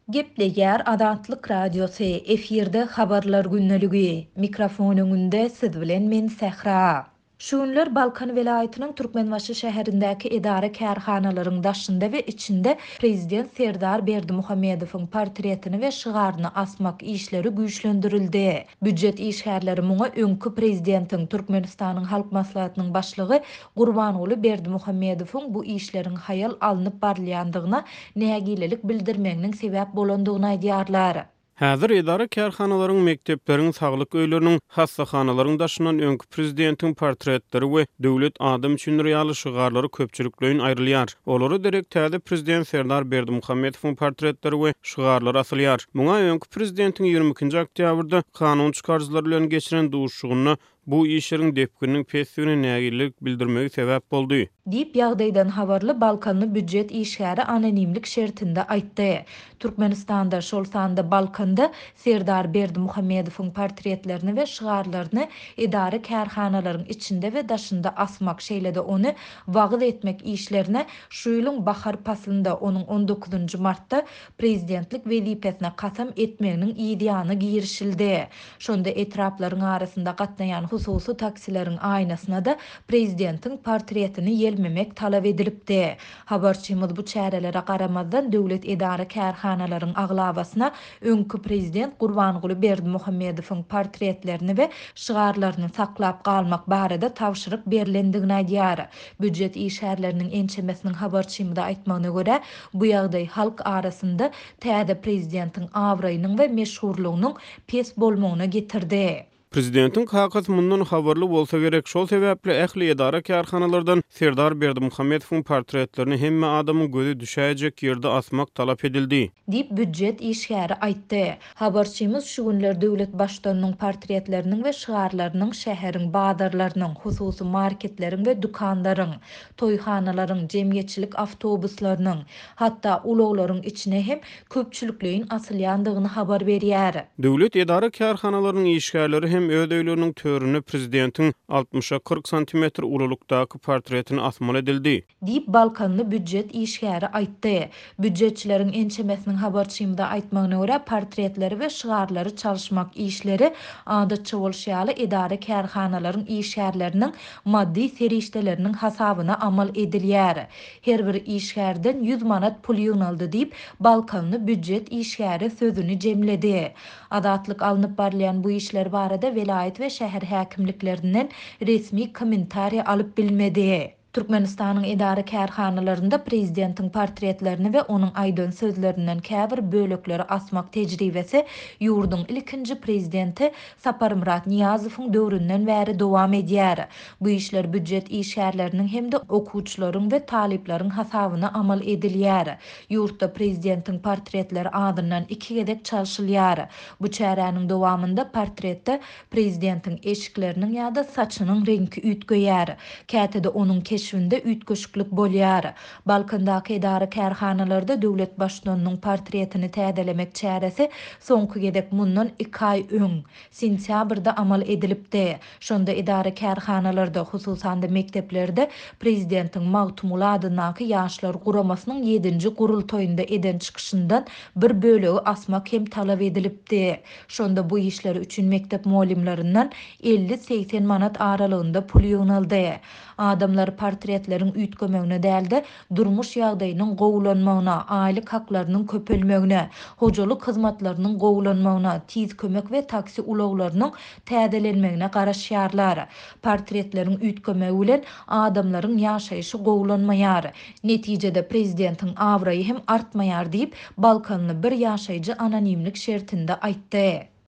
Gepleýär Azatlyk Radiosy, efirde Habarlar gündeligi. Mikrofon öňünde siz bilen men Sähra. Şu günler Balkan welaýatynyň Türkmenbaşy şäherindäki edara-kärhanalaryň daşynda we içinde Prezident Serdar Berdimuhamedowyň portretini we şygaryny asmak işleri güýçlendirildi. Býujet işgärleri muňa öňki prezidentiň, Türkmenistanyň Halk Maslahatynyň Başlygy Gurbanguly Berdimuhamedowyň bu işleriň haýal alnyp barylýandygyna nägilelik bildirmeginiň sebäp bolandygyny aýdýarlar. Häzir edara-kärhanalaryň, mekdepleriň, saglyk öýleriniň, hassahanalaryň daşyndan öňki prezidentiň portretleri we Döwlet adam üçindir ýaly şygarlary köpçülikleýin aýrylýar. Olara derek täze prezident Serdar Berdimuhamedowyň portretleri we şygarlary asylýar. Muňa öňki prezidentiň 22-nji oktýabrda kanun çykaryjylar bilen geçiren duşuşygynda bu işleriň depgininiň pesdigine nägilelik bildirmegi sebäp boldy. Diýip, ýagdaýdan habarly balkanly býujet işgäri anonimlik şertinde aýtdy. Türkmenistanda, şol sanda Balkanda Serdar Berdimuhamedowyň portretlerini we şygarlaryny edara-kärhanalaryň içinde we daşynda asmak, şeýle-de ony wagyz etmek işlerine şu ýylyň bahar paslynda, onuň on dokuzynjy martda prezidentlik wezipesine kasam etmeginiň yzýany girişildi. Şonda etraplaryň arasynda gatnaýan hususy taksileriň aýnasyna-da prezidentiň portretini ýelmemek talap edilipdi. Habarçymyz bu çärelere garamazdan, döwlet edara-kärhanalaryň aglabasyna öňki prezident Gurbanguly Berdimuhamedowyň portretlerini we şygarlaryny saklap galmak barada tabşyryk berlendigini aýdýar. Býujet işgärleriniň ençemesiniň habarçymyza aýtmagyna görä, bu ýagdaý halk arasynda täze prezidentiň abraýynyň we meşhurlygynyň pes bolmagyna getirdi. Prezidentiň kakasy mundan habarly bolsa gerek, şol sebäpli ähli edara-kärhanalardan Serdar Berdimuhamedowyň portretlerini hemme adamyň gözi düşäýjek ýerde asmak talap edildi. Diýip, býujet işgäri aýtdy. Habarçymyz şu günler döwlet Baştutanynyň portretleriniň we şygarlarynyň şäheriň bazarlarynyň, hususy marketleriň we dükanlaryň, toýhanalaryň, jemgyýetçilik awtobuslarynyň, hatda ulaglaryň içine hem köpçülikleýin asylýandygyny habar berýär. Döwlet edara-kärhanalarynyň işgärleri hem öz öýleriniň töründe prezidentiň altmyşa 40 santimetr ululykdaky portretini asmaly edildi. Diýip, balkanly býujet işgäri aýtdy. Býujetçileriň ençemesiniň habarçymyza aýtmagyna görä, portretleri we şygarlary çalyşmak işleri, adatça bolşy ýaly, edara-kärhanalaryň işgärleriniň maddy serişdeleriniň hasabyna amal edilýär. Her bir işgärden 100 manat pul ýygnaldy diýip, balkanly býujet işgäri sözüni jemledi. Azatlyk alnyp barylýan bu işler barada welaýat we şäher häkimliklerinden resmi kommentariý alyp bilmedi. Türkmenistanyň edara-kärhanalarynda prezidentiň portretlerini we onuň aýdan sözlerinden käbir bölekleri asmak tejribesi ýurduň ilkinji prezidenti Saparmyrat Nyýazowyň döwründen bäri dowam edýär. Bu işler býujet işgärleriniň hem-de okuwçylaryň we talyplaryň hasabyna amal edilýär. Ýurtda prezidentiň portretleri azyndan iki gezek çalşylýar. Bu çäräniň dowamynda portretde Prezidentiň eşikleriniň ýa-da saçynyň reňki üýtgeýär. Käte-de onuň keşbinde üýtgeşiklik bolýar. Balkandaky edara-kärhanalarda döwlet Baştutanynyň portretini täzelemek çäresi soňky gezek mundan iki aý öň, sentýabrda amal edilipdi. Şonda edara-kärhanalarda, hususan-da mekdeplerde prezidentiň Magtymguly adyndaky Ýaşlar guramasynyň ýedinji gurultaýynda eden çykyşyndan bir bölegi asmak hem talap edilipdi. Şonda bu işleri üçin mekdep mugallymlaryndan 50-80 manat aralygynda pul ýygnaldy. Adamlar portretleriň üýtgemegine däl-de, durmuş ýagdaýynyň gowulanmagyna, aýlyk haklarynyň köpelmegine, hojalyk hyzmatlarynyň gowulanmagyna, tiz kömek we taksi ulaglarynyň täzelenmegine garaşýarlar. Portretleriň üýtgemegi bilen adamlaryň ýaşaýşy gowulanmaýar. Netijede prezidentiň abraýy hem artmaýar diýip, balkanly bir ýaşaýjy anonimlik şertinde aýtdy.